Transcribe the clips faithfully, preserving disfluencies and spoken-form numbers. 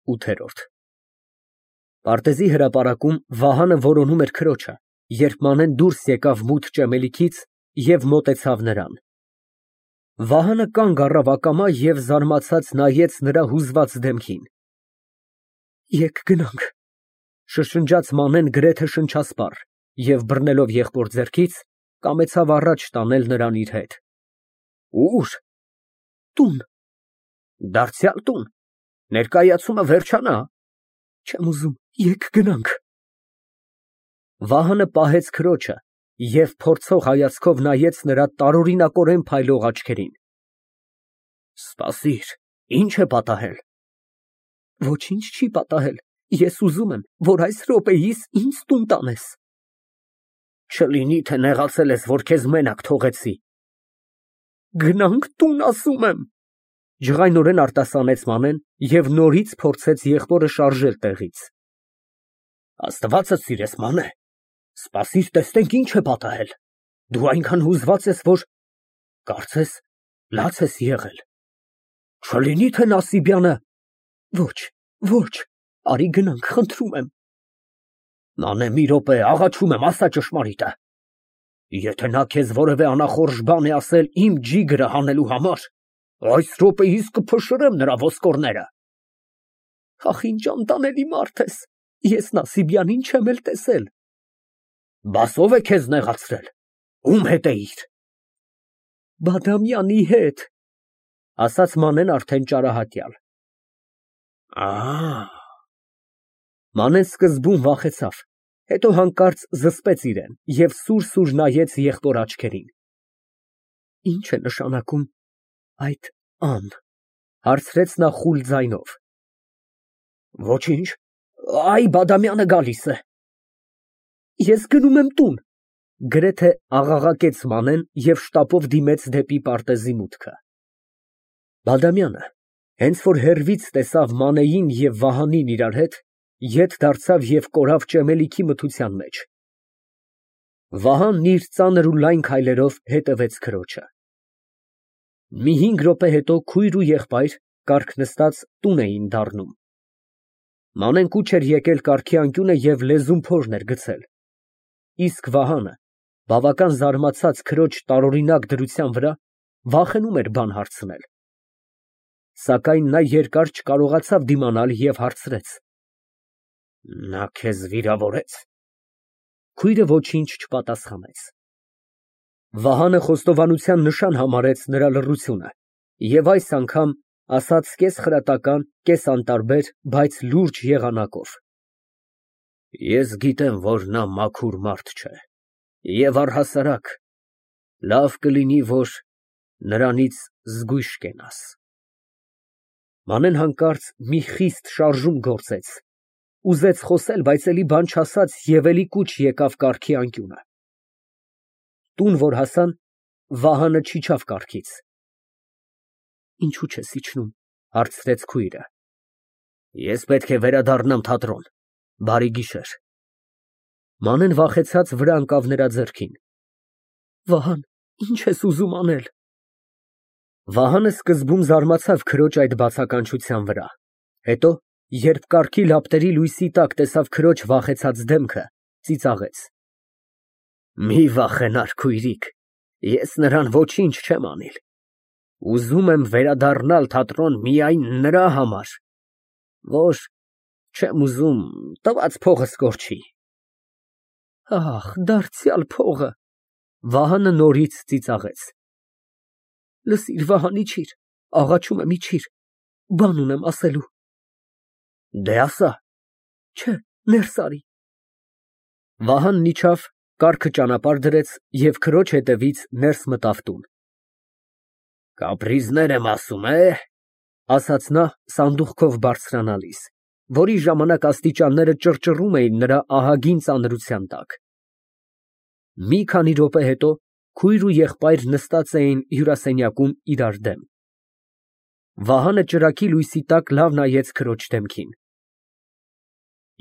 ՈՒԹԵՐՈՐԴ Պարտեզի հրապարակում Վահանը որոնում էր քրոջը, երբ Մանեն դուրս եկավ մութ ճեմելիքից և մոտեցավ նրան։ Վահանը կանգ առավ ակամա և զարմացած նայեց նրա հուզված դեմքին։ Եկ գնանք, շշնջաց Մանեն գրեթե շնչասպառ և բռնելով եղբոր ձեռքից, կամեցավ առաջ տանել նրան իր հետ։ Ո՞ւր։ Տուն։ Դարձյալ տուն, ներկայացումը վերջանա։ Չեմ ուզում, եկ գնանք։ Վահանը պահեց քրոջը և փորձող հայացքով նայեց նրա տարօրինակորեն փայլող աչքերին։ Սպասիր, ի՞նչ է պատահել։ Ոչինչ չի պատահել, ես ուզում եմ, որ այս րոպեիս ինձ տուն տանես։ Չլինի, թե նեղացել ես, որ քեզ մենակ թողեցի։ Գնանք տուն, ասում եմ, ջղայնորեն արտասանեց Մանեն և նորից փորձեց եղբորը շարժել տեղից։ Աստվածդ սիրես, Մանե, սպասիր, տեսնենք ինչ է պատահել։ Դու այնքան հուզված ես, որ կարծես լաց ես եղել։ Չլինի, թե Նասիբյանը… Ոչ, ոչ, արի գնանք, խնդրում եմ։ Մանե, մի րոպե, աղաչում եմ, ասա ճշմարիտը։ Եթե նա քեզ որևէ անախորժ բան է ասել իմ ջիգրը հանելու համար, այս րոպեիս կփշրեմ նրա ոսկորները։ Ախ, ինչ անտանելի մարդ ես, ես Նասիբյանին չեմ էլ տեսել։ Բաս ո՞վ է քեզ նեղացրել, ում հետ էիր։ Բադամյանի հետ, ասաց Մանեն արդեն ճարահատյալ։ Ա… Մանեն սկզբում վախեցավ, հետո հանկարծ զսպեց իրեն և սուր֊սուր նայեց եղբոր աչքերին։ Ի՞նչ է նշանակում այդ «ան», հարցրեց նա խուլ ձայնով։ Ոչինչ, այ Բադամյանը գալիս է։ Ես գնում եմ տուն, գրեթե աղաղակեց Մանեն և շտապով դիմեց դեպի պարտեզի մուտքը։ Բադամյանը, հենց որ հեռվից տեսավ Մանեին և Վահանին իրար հետ, ետ դարձավ և կորավ ճեմելիքի մթության մեջ։ Վահանն իր ծանր ու լայն քայլերով հետևեց քրոջը։ Մի հինգ րոպե հետո քույր ու եղբայր կառք նստած տուն էին դառնում։ Մանեն կուչ էր եկել կառքի անկյունը և լեզուն փորն էր գցել, իսկ Վահանը, բավական զարմացած քրոջ տարօրինակ դրության վրա, վախենում էր բան հարցնել։ Սակայն նա երկար չկարողացավ դիմանալ և հարցրեց. Նա քեզ վիրավորե՞ց։ Քույրը ոչինչ չպատասխանեց։ Վահանը խոստովանության նշան համարեց նրա լռությունը և այս անգամ ասաց կես֊խրատական, կես֊անտարբեր, բայց լուրջ եղանակով. Ես գիտեմ, որ նա մաքուր մարդ չէ, և առհասարակ լավ կլինի, որ նրանից զգույշ կենաս։ Մանեն հանկարծ մի խիստ շարժում գործեց, ուզեց խոսել, բայց էլի բան չասաց և էլի կուչ եկավ կառքի անկյունը։ Տուն որ հասան, Վահանը չիջավ կառքից։ Ինչո՞ւ չես իջնում, հարցրեց քույրը։ Ես պետք է վերադառնամ թատրոն, բարի գիշեր։ Մանեն վախեցած վրա ընկավ նրա ձեռքին։ Վահան, ի՞նչ ես ուզում անել։ Վահանը սկզբում զարմացավ քրոջ այդ բացականչության վրա, հետո, երբ կառքի լապտերի լույսի տակ տեսավ քրոջ վախեցած դեմքը, ծիծաղեց։ Մի վախենար, քույրիկ, ես նրան ոչինչ չեմ անիլ։ Ուզում եմ վերադառնալ թատրոն միայն նրա համար, որ չեմ ուզում տված փողս կորչի։ Ախ, դարձյալ փողը… Վահանը նորից ծիծաղեց։ Լսիր, Վահան, իջիր, աղաչում եմ, իջիր, բան ունեմ ասելու։ Դե ասա։ Չէ, ներս արի։ Վահանն իջավ, կառքը ճանապարհ դրեց և քրոջ հետևից ներս մտավ տուն։ Կապրիզներ եմ ասում, է՞, ասաց նա սանդուղքով բարձրանալիս, որի ժամանակ աստիճանները ճռճռում էին նրա ահագին ծանրության տակ։ Մի քանի րոպե հետո քույր ու եղբայր նստած էին հյուրասենյակում իրար դեմ։ Վահանը ճրագի լույսի տակ լավ նայեց քրոջ դեմքին։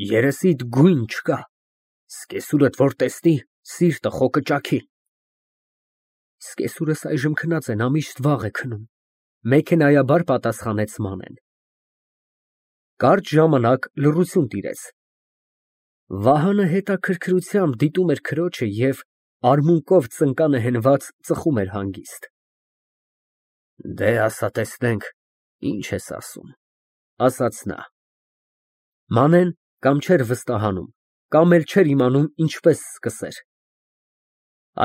Երեսիդ գույն չկա, սկեսուրդ որ տեսնի, սիրտը խո կճաքի։ Սկեսուրս այժմ քնած են, ամիշտ վաղ է քնում, մեքենայաբար պատասխանեց Մանեն։ Կարճ ժամանակ լռություն տիրեց։ Վահանը հետաքրքրությամբ դիտում էր քրոջը և արմունկով ծնկանը հենված ծխում էր հանգիստ։ Դե, ասա տեսնենք, ինչ ես ասում, ասաց նա։ Մանեն կամ չէր վստահանում, կամ էլ չէր իմանում ինչպես սկսեր։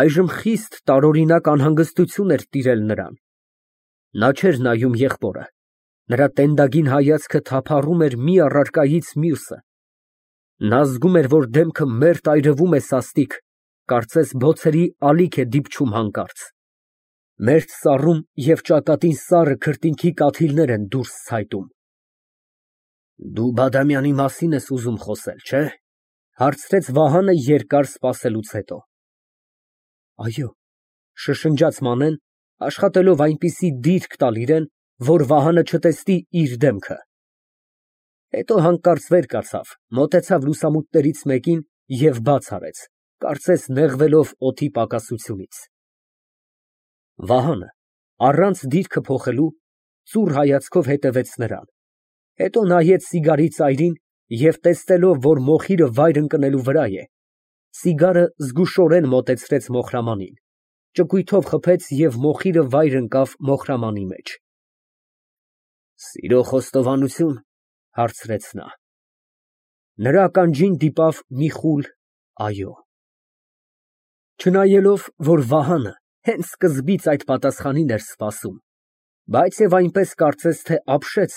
Այժմ խիստ տարօրինակ անհանգստություն էր տիրել նրան։ Նա չէր նայում եղբորը, նրա տենդագին հայացքը թափառում էր մի առարկայից մյուսը։ Նա զգում էր, որ դեմքը մերթ այրվում է սաստիկ, կարծես բոցերի ալիք է դիպչում հանկարծ։ Մերթ սառում և ճակատին սառը քրտինքի կաթիլներ են դուրս ցայտում։ Դու Բադամյանի մասին ես ուզում խոսել, չէ՞, հարցրեց Վահանը երկար սպասելուց հետո։ Այո, շշնջաց Մանեն, աշխատելով այնպիսի դիրք տալ իրան, որ Վահանը չտեսնի իր դեմքը։ Հետո հանկարծ վեր կացավ, մոտեցավ լուսամուտներից մեկին և բաց արեց, կարծես նեղվելով օդի պակասությունից։ Վահանը, առանց դիրքը փոխելու, ծուռ հայացքով հետևեց նրան, հետո նայեց սիգարի ծայրին և տեսնելով, որ մոխիրը վայր ընկնելու վրա է, սիգարը զգուշորեն մոտեցրեց մոխրամանին, ճկույթով խփեց և մոխիրը վայր ընկավ մոխրամանի մեջ։ Սիրո խոստովանությո՞ւն, հարցրեց նա։ Նրա ականջին դիպավ մի խուլ այո։ Չնայելով, որ Վահանը հենց սկզբից այդ պատասխանին էր սպասում, բայց և այնպես կարծես թե ապշեց,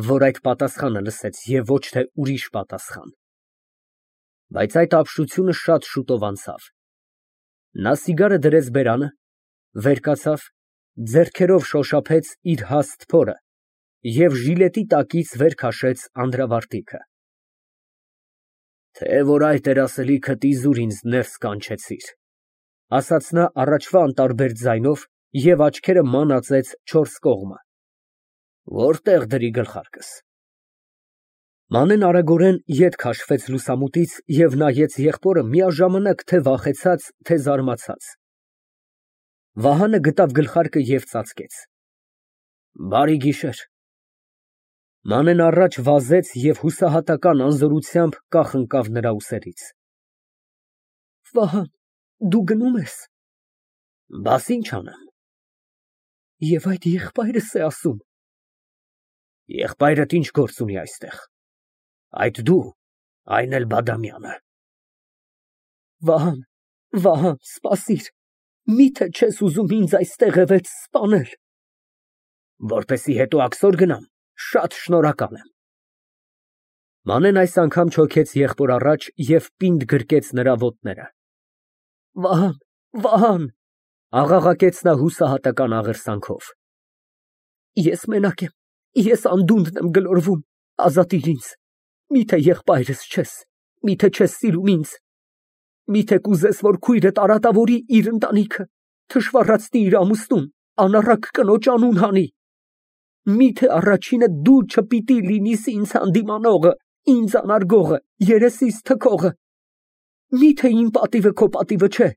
որ այդ պատասխանը լսեց և ոչ թե ուրիշ պատասխան։ Բայց այդ ապշությունը շատ շուտով անցավ։ Նա սիգարը դրեց բերանը, վեր կացավ, ձեռքերով շոշափեց իր հաստ փորը և ժիլետի տակից վեր քաշեց անդրավարտիքը։ Թե որ այդ էր ասելիքդ, իզուր ինձ ներս կանչեցիր, ասաց նա առաջվա անտարբեր ձայնով և աչքերը մանածեց չորս կողմը։ Որտե՞ղ դրի գլխարկս։ Մանեն արագորեն ետ քաշվեց լուսամուտից և նայեց եղբորը միաժամանակ թե վախեցած, թե զարմացած։ Վահանը գտավ գլխարկը և ծածկեց։ Բարի գիշեր։ Մանեն առաջ վազեց և հուսահատական անզորությամբ կախ ընկավ նրա ուսերից։ Վահան, դու գնում ես։ Բաս ինչ անեմ։ Եվ այդ եղբայրս է ասում։ Եղբայրդ ինչ գործ ունի այստեղ։ Այդ դու, այն էլ Բադամյանը։ Վահան, Վահան, սպասիր, միթե չես ուզում ինձ այստեղևեթ սպանել։ Որպեսզի հետո աքսոր գնամ, շատ շնորհակալ եմ։ Մանեն այս անգամ չոքեց եղբոր առաջ և պինդ գրկեց նրա ոտները։ Վահան, Վահան, աղաղակեց նա հուսահատական աղերսանքով։ Ես մենակ եմ, ես անդունդն եմ գլորվում, ազատիր ինձ, միթե եղբայրս չես, միթե չես սիրում ինձ, միթե կուզես, որ քույրդ արատավորի իր ընտանիքը, թշվառացնի իր ամուսնուն, անառակ կնոջ անուն հանի։ Միթե առաջինը դու չպիտի լինիս ինձ հանդիմանողը, ինձ անարգողը, երեսիս թքողը։ Միթե իմ պատիվը քո պատիվը չէ,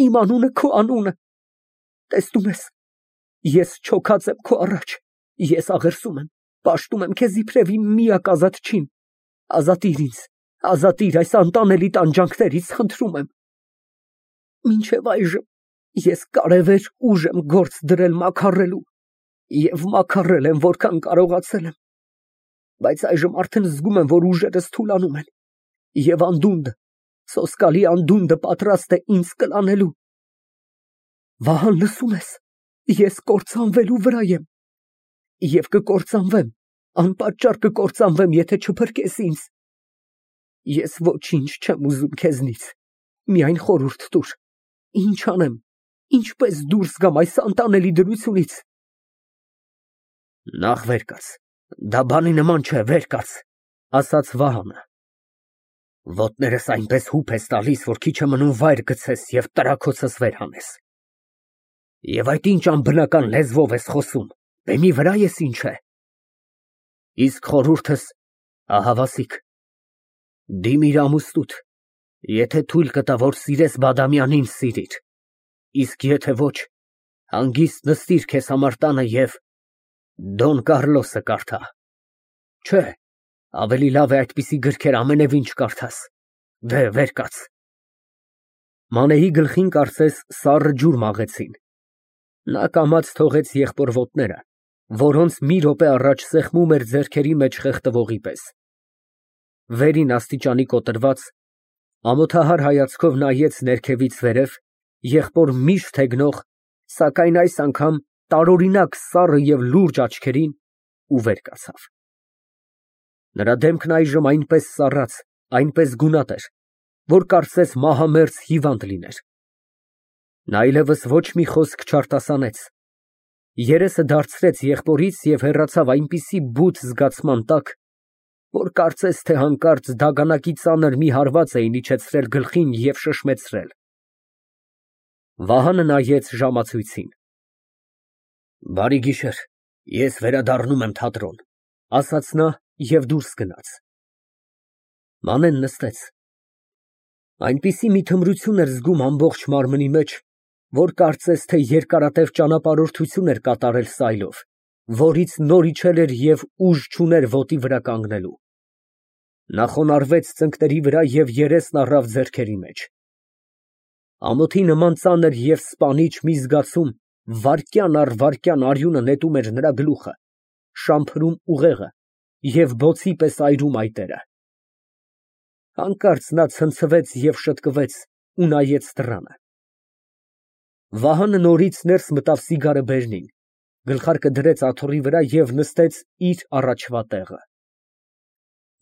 իմ անունը քո անունը։ Տեսնում ես, ես չոքած եմ քո առաջ, ես աղերսում եմ, պաշտում եմ քեզ իբրև իմ միակ ազատչին, ազատիր ինձ, ազատիր այս անտանելի տանջանքներից, խնդրում եմ։ Մինչև այժմ ես կարևեր ուժ եմ գործ դրել մաքարելու և մաքարել եմ, որքան կարողացել եմ, բայց այժմ արդեն զգում եմ, որ ուժերս թուլանում են, և անդունդը, սոսկալի անդունդը պատրաստ է ինձ կլանելու։ Վահան, լսո՞ւմ ես, ես կործանվելու վրա եմ և կկործանվեմ, անպատճառ կկործանվեմ, եթե չփրկես ինձ։ Ես ոչինչ չեմ ուզում քեզնից, միայն խորհուրդ տուր, ինչ անեմ, ինչպես դուրս գամ այս անտանելի դրությունից։ Նախ վեր կաց, դա բանի նման չէ, վեր կաց, ասաց Վահանը։ Ոտներս այնպես հուպ ես տալիս, որ քիչ է մնում վայր գցես և տրաքոցս վեր հանես։ Եվ այդ ինչ անբնական լեզվով ես խոսում, բեմի վրա ես ինչ է։ Իսկ խորհուրդս, ահավասիկ, դիմիր ամուսնուդ, եթե թույլ կտա, որ սիրես Բադամյանին, սիրիր, իսկ եթե ոչ, հանգիստ նստիր քեզ համար տանը և Դոն Կառլոսը կարդա։ Չէ, Ավելի լավ է այդպիսի գրքեր ամենևին չկարդաս։ Վեր, վեր կաց։ Մանեի գլխին կարծես սառը ջուր մաղեցին։ Նա կամաց թողեց եղբոր ոտները, որոնց մի րոպե առաջ սեղմում էր ձեռքերի մեջ խեղդվողի պես։ Վերին աստիճանի կոտրված, ամոթահար հայացքով նայեց ներքևից վերև, եղբոր միշտ հեգնող, սակայն այս անգամ տարօրինակ սառը և լուրջ աչքերին ու վեր կացավ։ Նրա դեմքն այժմ այնպես սառած, այնպես գունատ էր, որ կարծես մահամերձ հիվանդ լիներ։ Նա այլևս ոչ մի խոսք չարտասանեց, երեսը դարձրեց եղբորից և հեռացավ այնպիսի բութ զգացման տակ, որ կարծես թե հանկարծ դագանակի ծանր մի հարված էին իջեցրել գլխին և շշմեցրել։ Վահանը նայեց ժամացույցին։ Բարի գիշեր, ես վերադառնում եմ թատրոն, ասաց նա և դուրս գնաց։ Մանեն նստեց։ Այնպիսի մի թմրություն էր զգում ամբողջ մարմնի մեջ, որ կարծես թե երկարատև ճանապարհորդություն էր կատարել սայլով, որից նոր իջել էր և ուժ չուներ ոտի վրա կանգնելու։ Նա խոնարհվեց ծնկների վրա և երեսն առավ ձեռքերի մեջ։ Ամոթի նման ծանր և սպանիչ մի զգացում վայրկյան առ վայրկյան արյունը նետում էր նրա գլուխը, շամփրում ուղեղը և բոցի պես այրում այտերը։ Հանկարծ նա ցնցվեց և շտկվեց ու նայեց դռանը։ Վահանը նորից ներս մտավ սիգարը բերնին, գլխարկը դրեց աթոռի վրա և նստեց իր առաջվա տեղը։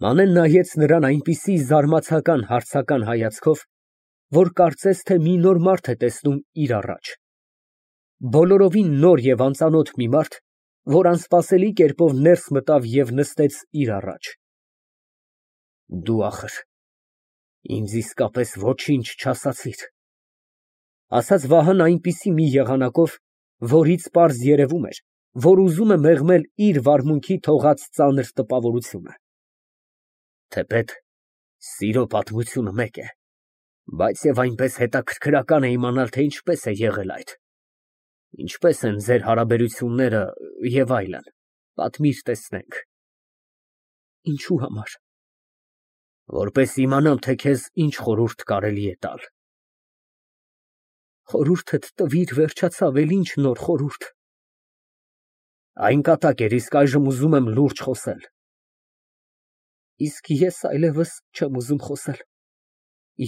Մանեն նայեց նրան այնպիսի զարմացական հարցական հայացքով, որ կարծես թե մի նոր մարդ է տեսնում իր առաջ, բոլորովին նոր և անծանոթ մի մարդ, որ անսպասելի կերպով ներս մտավ և նստեց իր առաջ։ Դու, ախր, ինձ իսկապես ոչինչ չասացիր, ասաց Վահանն այնպիսի մի եղանակով, որից պարզ երևում էր, որ ուզում է մեղմել իր վարմունքի թողած ծանր տպավորությունը։ Թեպետ սիրո պատմությունը մեկ է, բայց և այնպես հետաքրքրական է իմանալ, թե ինչպես է եղել այդ, ինչպես են ձեր հարաբերությունները և այլն, պատմիր տեսնենք։ Ինչու համար։ Որպես իմանամ, թե քեզ ինչ խորհուրդ կարելի է տալ։ Խորհուրդդ տվիր, վերջացավ, էլ ինչ նոր խորհուրդ։ Այն կատակ էր, իսկ այժմ ուզում եմ լուրջ խոսել։ Իսկ ես այլևս չեմ ուզում խոսել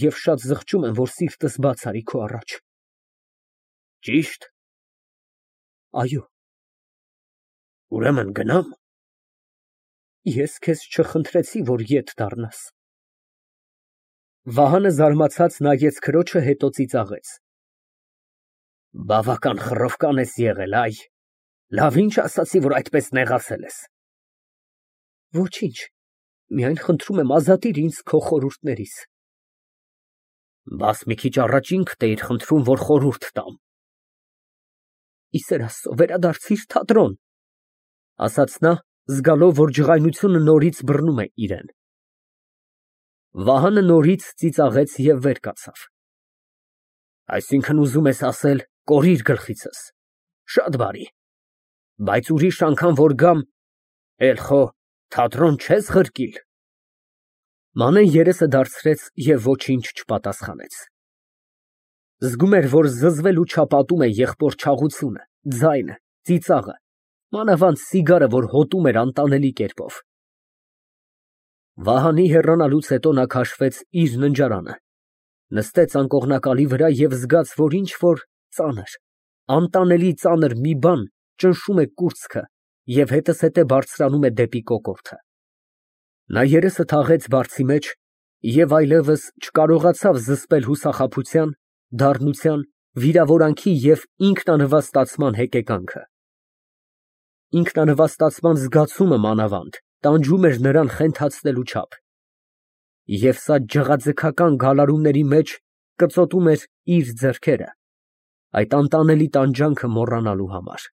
և շատ զղջում եմ, որ սիրտս բաց արի քո առաջ։ Ճի՞շտ։ Այո։ Ուրեմն գնա՞մ։ Ես քեզ չխնդրեցի, որ ետ դառնաս։ Վահանը զարմացած նայեց քրոջը, հետո ծիծաղեց։ Բավական խռովկան ես եղել, այ, լավ ինչ ասացի, որ այդպես նեղացել ես։ Ոչինչ, միայն խնդրում եմ ազատիր ինձ քո խորհուրդներից։ Բաս մի քիչ առաջ ինքդ էիր խնդրում, որ խորհուրդ տամ։ Ի սեր Աստծո, վերադարձիր թատրոն, ասաց նա, զգալով, որ ջղայնությունը նորից բռնում է իրան։ Վահանը նորից ծիծաղեց և վեր կացավ։ Այսինքն ուզում ես ասել, կորիր գլխիցս, շատ բարի, բայց ուրիշ անգամ որ գամ, էլ խո թատրոն չես ղրկիլ։ Մանեն երեսը դարձրեց և ոչինչ չպատասխանեց։ Զգում էր, որ զզվելու չափ ատում է եղբոր չաղությունը, ձայնը, ծիծաղը, մանավանդ սիգարը, որ հոտում էր անտանելի կերպով։ Վահանի հեռանալուց հետո նա քաշվեց իր ննջարանը, նստեց անկողնակալի վրա և զգաց, որ ինչ֊որ ծանր, անտանելի ծանր մի բան ճնշում է կուրծքը և հետզհետե բարձրանում է դեպի կոկորդը։ Նա երեսը թաղեց բարձի մեջ և այլևս չկարողացավ զսպել հուսախաբության, դառնության, վիրավորանքի և ինքնանվաստացման հեկեկանքը։ Ինքնանվաստացման զգացումը մանավանդ տանջում էր նրան խենթացնելու չափ, և սա ջղաձգական գալարումների մեջ կծոտում էր իր ձեռքերը, այդ անտանելի տանջանքը մոռանալու համար։